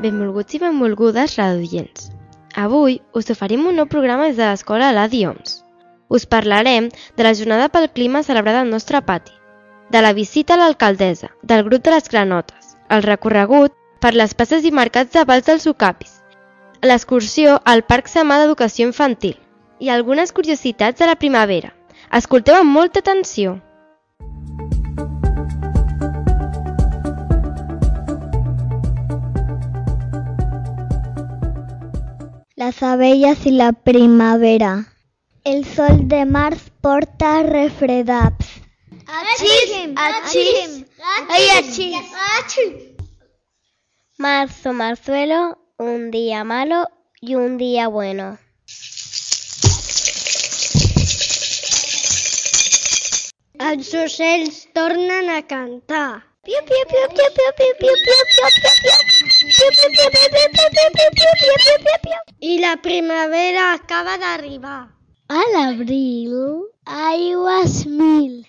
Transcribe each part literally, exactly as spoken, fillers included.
Benvolguts i benvolgudes radioients. Avui us oferim un nou programa des de l'escola Eladi Homs. Us parlarem de la jornada pel clima celebrada al nostre pati, de la visita a l'alcaldessa, del grup de les granotes, el recorregut per les places i mercats de Vals dels Ocapis, l'excursió al Parc Samà d'Educació Infantil i algunes curiositats de la primavera. Escolteu amb molta atenció. Las abellas y la primavera. El sol de març porta refredats. Achis, achis, ay achis. Marzo, marzuelo, un día malo y un día bueno. Els ocells tornen a cantar. Piu, piu, piu, piu, piu, piu, piu, piu, piu, piu, piu. Piu, piu, piu, piu, piu, piu, piu, piu, piu, piu, piu, piu, piu. I la primavera acaba d'arribar. A l'abril, aigües mil.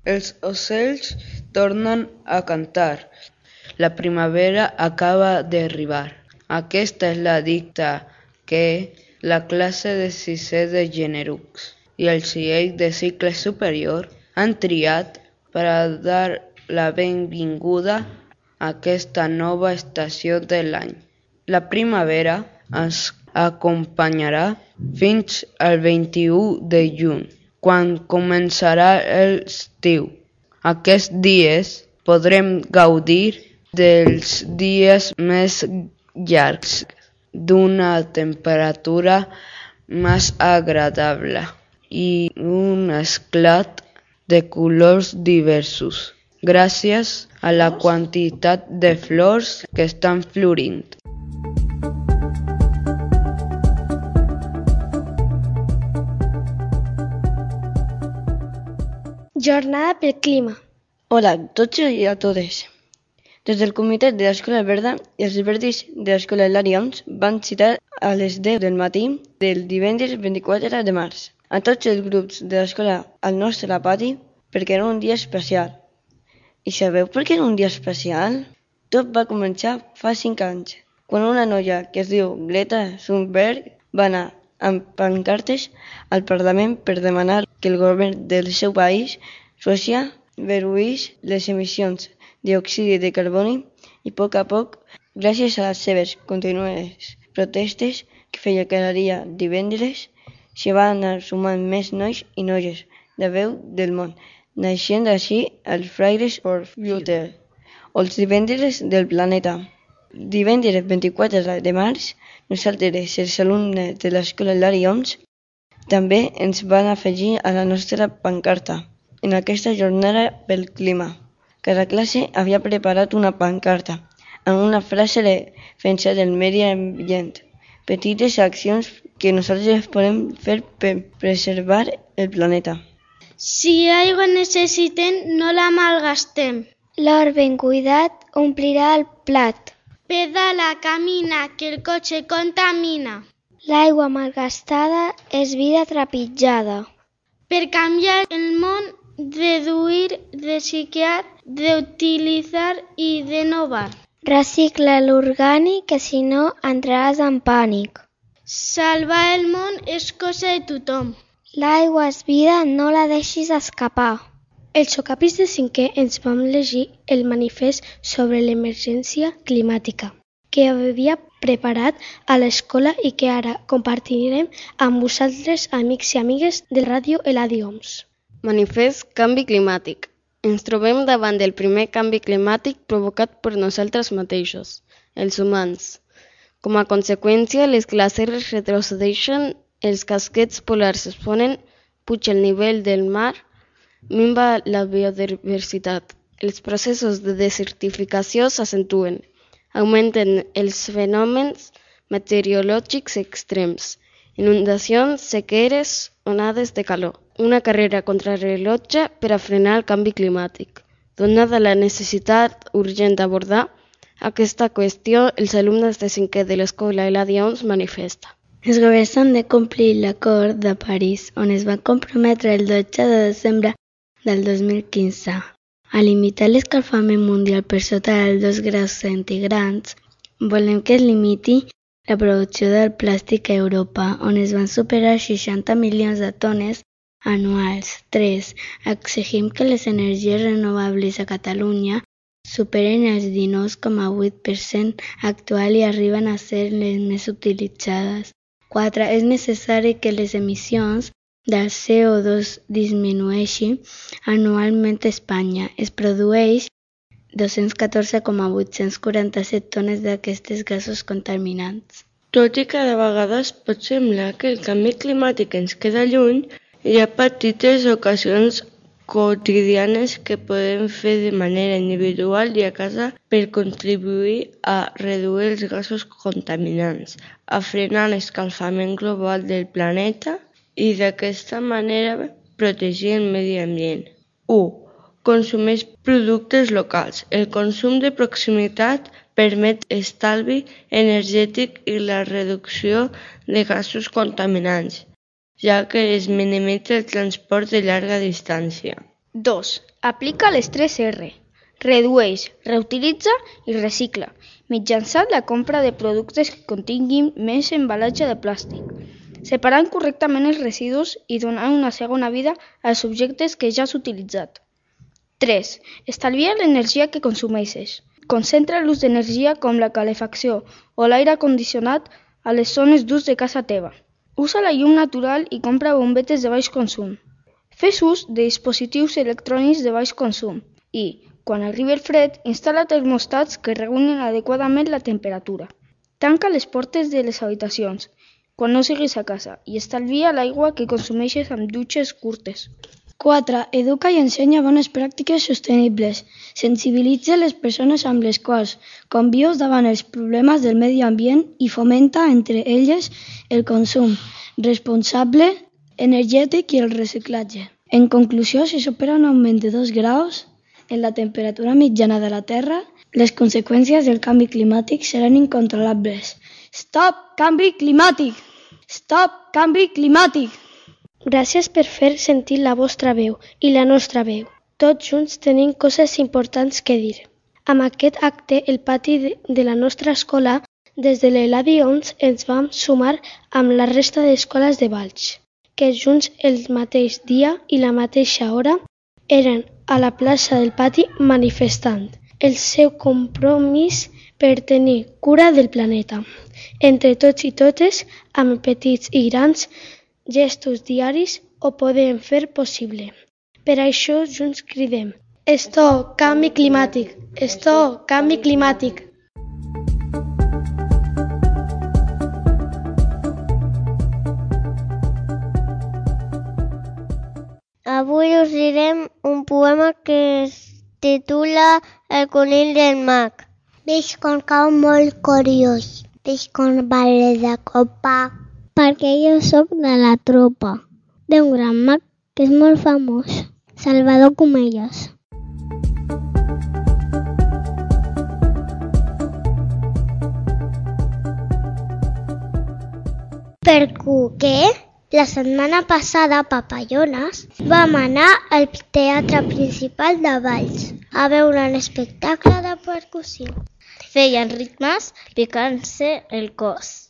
Els ocells tornen a cantar. La primavera acaba d'arribar. Aquesta és la dicta que la classe de sisè de Generux i el C I E de cicle superior han triat per a dar la benvinguda a aquesta nova estació de l'any. La primavera ens acompanyarà fins al vint-i-u de juny, quan començarà l'estiu. Aquests dies podrem gaudir dels dies més llargs, d'una temperatura més agradable i un esclat de colors diversos, gràcies a la quantitat de flors que estan florint. Jornada pel clima. Hola a tots i a totes. Des del comitè de l'Escola Verda i els verdis de l'Escola Eladi Homs van citar a les deu del matí del divendres vint-i-quatre de març a tots els grups de l'escola al nostre pati perquè era un dia especial. I sabeu per què era un dia especial? Tot va començar fa cinc anys, quan una noia que es diu Greta Thunberg va anar amb pancartes al Parlament per demanar que el govern del seu país, Suècia, reduís les emissions de diòxid de carboni i a poc a poc, gràcies a les seves contínues protestes que feia cada dia divendres, s'hi van anar sumant més nois i noies d'arreu del món, naixent així els Fridays for Future, o els divendres del planeta. Divendres vint-i-quatre de març, nosaltres, els alumnes de l'Escola Eladi Homs, també ens van afegir a la nostra pancarta en aquesta jornada pel clima. Cada classe havia preparat una pancarta amb una frase de defensa del medi ambient, petites accions que nosaltres podem fer per preservar el planeta. Si aigua necessitem, no la malgastem. L'or ben cuidat omplirà el plat. Pedala, camina, que el cotxe contamina. L'aigua malgastada és vida trepitjada. Per canviar el món, reduir, reciclar, reutilitzar i renovar. Recicla l'orgànic, que si no entraràs en pànic. Salvar el món és cosa de tothom. L'aigua és vida, no la deixis escapar. Els Ocapis de cinquè ens vam llegir el manifest sobre l'emergència climàtica que havia preparat a l'escola i que ara compartirem amb vosaltres, amics i amigues de Ràdio Eladi Homs. Manifest Canvi Climàtic. Ens trobem davant del primer canvi climàtic provocat per nosaltres mateixos, els humans. Com a conseqüència, les glaceres retrocedeixen, els casquets polars es ponen, puja el nivell del mar, minva la biodiversitat. Els processos de desertificació s'acentuen, augmenten els fenòmens meteorològics extrems inundacions, sequeres, onades de calor. Una carrera contra rellotge per a frenar el canvi climàtic. Donada la necessitat urgent d'abordar aquesta qüestió, els alumnes de cinquè de l'Escola Eladia Homs manifesten. Els governs han de complir l'Acord de París, on es van comprometre el dotze de desembre del dos mil quinze a limitar l'escalfament mundial per sota dels dos graus centígrads. Volem que es limiti la producció del plàstic a Europa, on es van superar seixanta milions de tones anuals. tres. Exigim que les energies renovables a Catalunya superen el dinou coma vuit per cent actual i arriben a ser les més utilitzades. quatre. És necessari que les emissions del C O dos disminueixin anualment a Espanya. Es produeix dos-cents catorze coma vuit-cents quaranta-set tones d'aquests gasos contaminants. Tot i que de vegades pot semblar que el canvi climàtic ens queda lluny, hi ha petites ocasions quotidianes que podem fer de manera individual i a casa per contribuir a reduir els gasos contaminants, a frenar l'escalfament global del planeta i d'aquesta manera protegir el medi ambient. u. Consumeix productes locals. El consum de proximitat permet estalvi energètic i la reducció de gasos contaminants, ja que es minimitza el transport de llarga distància. dos. Aplica les tres R. Redueix, reutilitza i recicla, mitjançant la compra de productes que continguin menys embalatge de plàstic, separant correctament els residus i donant una segona vida als objectes que ja has utilitzat. tres. Estalvia l'energia que consumeixes. Concentra l'ús d'energia com la calefacció o l'aire condicionat a les zones d'ús de casa teva. Usa la llum natural i compra bombetes de baix consum. Fes ús de dispositius electrònics de baix consum i, quan arribi el fred, instal·la termostats que regulin adequadament la temperatura. Tanca les portes de les habitacions quan no siguis a casa i estalvia l'aigua que consumeixes amb dutxes curtes. quatre. Educa i ensenya bones pràctiques sostenibles. Sensibilitza les persones amb les quals convius davant els problemes del medi ambient i fomenta entre elles el consum responsable, energètic i el reciclatge. En conclusió, si supera un augment de dos graus en la temperatura mitjana de la Terra, les conseqüències del canvi climàtic seran incontrolables. Stop canvi climàtic! Stop canvi climàtic! Gràcies per fer sentir la vostra veu i la nostra veu. Tots junts tenim coses importants que dir. Amb aquest acte, el pati de, de la nostra escola, des de l'Eladia Homs, ens vam sumar amb la resta d'escoles de Valls, que junts el mateix dia i la mateixa hora eren a la plaça del pati manifestant el seu compromís per tenir cura del planeta. Entre tots i totes, amb petits i grans gestos diaris, ho podem fer possible. Per això junts cridem: Stop canvi climàtic! Stop canvi climàtic! Avui us direm un poema que es titula El conill del mag. Veig com cau molt curiós, veig com vale de copa, perquè jo sóc de la tropa d'un gran mag que és molt famós, Salvador Comellas. Perquè la setmana passada, Papallones, vam anar al Teatre Principal de Valls a veure un espectacle de percussió. Feien ritmes picant-se el cos.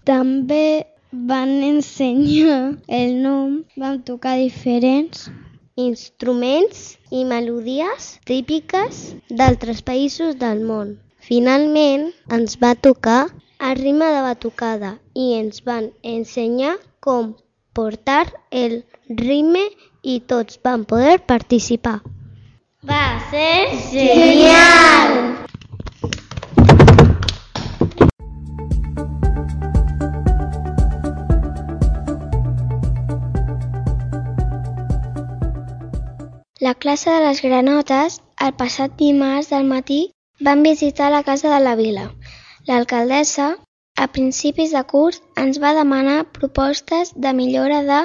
També van ensenyar el nom, van tocar diferents instruments i melodies típiques d'altres països del món. Finalment ens va tocar el ritme de batucada i ens van ensenyar com portar el ritme i tots van poder participar. Va ser genial! La classe de les granotes, el passat dimarts del matí, van visitar la Casa de la Vila. L'alcaldessa, a principis de curs, ens va demanar propostes de millora de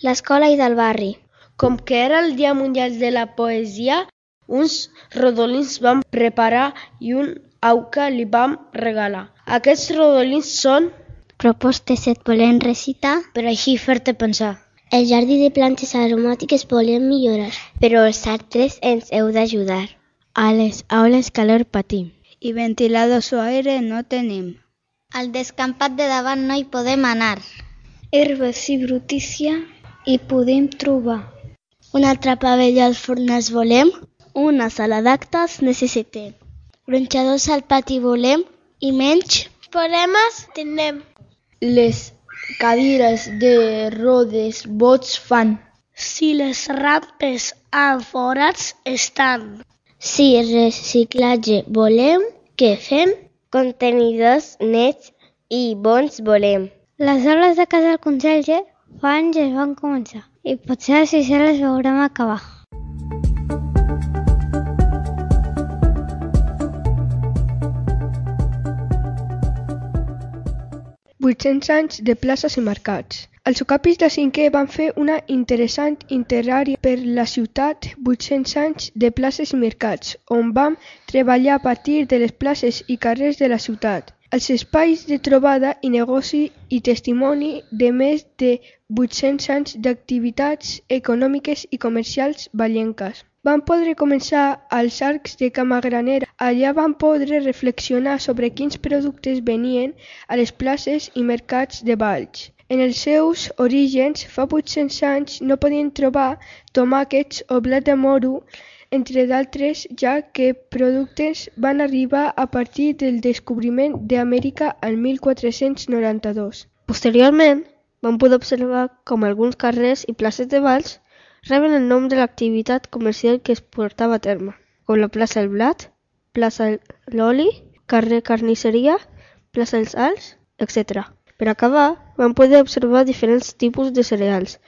l'escola i del barri. Com que era el Dia Mundial de la Poesia, uns rodolins vam preparar i un auca li vam regalar. Aquests rodolins són Propostes et volem recitar, per així fer-te pensar. el jardí de plantes aromàtiques volem millorar, Però els altres ens heu d'ajudar. A les aules calor patim. I ventiladors o aire no tenim. al descampat de davant no hi podem anar. herbes i brutícia hi podem trobar. Un altre pavelló als fornals volem, una sala d'actes necessitem. Gronxadors al pati volem i menys problemes tenim. Les cadires de rodes bots fan. Si les rampes amb forats estan. Si reciclatge volem, què fem? Contenidors nets i bons volem. Les obres de casa del conserge fa anys es van començar i potser així se les veurem acabar. vuit-cents anys de places i mercats. Els ocapis de cinquè van fer una interessant itinerari per la ciutat vuit-cents anys de places i mercats, on vam treballar a partir de les places i carrers de la ciutat. Els espais de trobada i negoci i testimoni de més de vuit-cents anys d'activitats econòmiques i comercials vallenques. Van poder començar als arcs de Cama Granera. Allà van poder reflexionar sobre quins productes venien a les places i mercats de Valls. En els seus orígens, fa vuit-cents anys, no podien trobar tomàquets o blat de moro, entre d'altres, ja que productes van arribar a partir del descobriment d'Amèrica el mil quatre-cents noranta-dos. Posteriorment, vam poder observar com alguns carrers i places de Valls reben el nom de l'activitat comercial que es portava a terme, com la plaça El Blat, plaça L'Oli, carrer Carnisseria, plaça Els Alts, etcètera. Per acabar, vam poder observar diferents tipus de cereals,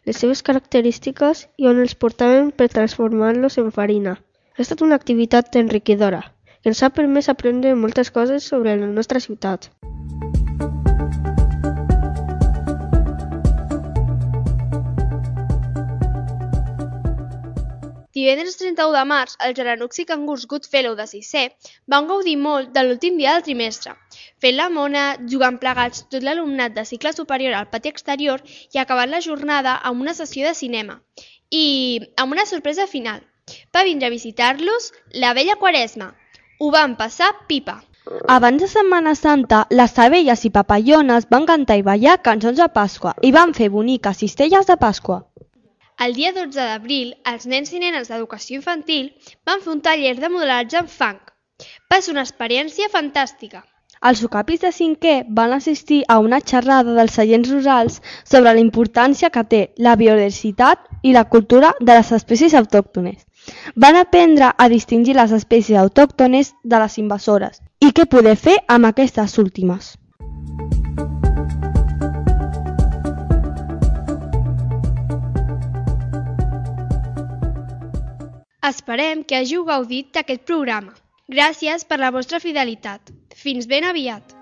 les seves característiques i on els portaven per transformar-los en farina. Ha estat una activitat enriquidora, que ens ha permès aprendre moltes coses sobre la nostra ciutat. Divendres trenta-u de març, el Jaranuxi Cangurs Goodfellow de sisè van gaudir molt de l'últim dia del trimestre, fent la mona, jugant plegats tot l'alumnat de cicle superior al pati exterior i acabant la jornada amb una sessió de cinema. I amb una sorpresa final. Va vindre a visitar-los la vella Quaresma. Ho van passar pipa. Abans de Setmana Santa, les abelles i papallones van cantar i ballar cançons de Pasqua i van fer boniques cistelles de Pasqua. El dia dotze d'abril, els nens i nenes d'educació infantil van fer un taller de modelatge en fang. Va ser una experiència fantàstica. Els ocapis de cinquè van assistir a una xerrada dels seients rurals sobre la importància que té la biodiversitat i la cultura de les espècies autòctones. Van aprendre a distingir les espècies autòctones de les invasores i què poder fer amb aquestes últimes. Esperem que hàgiu gaudit d'aquest programa. Gràcies per la vostra fidelitat. Fins ben aviat!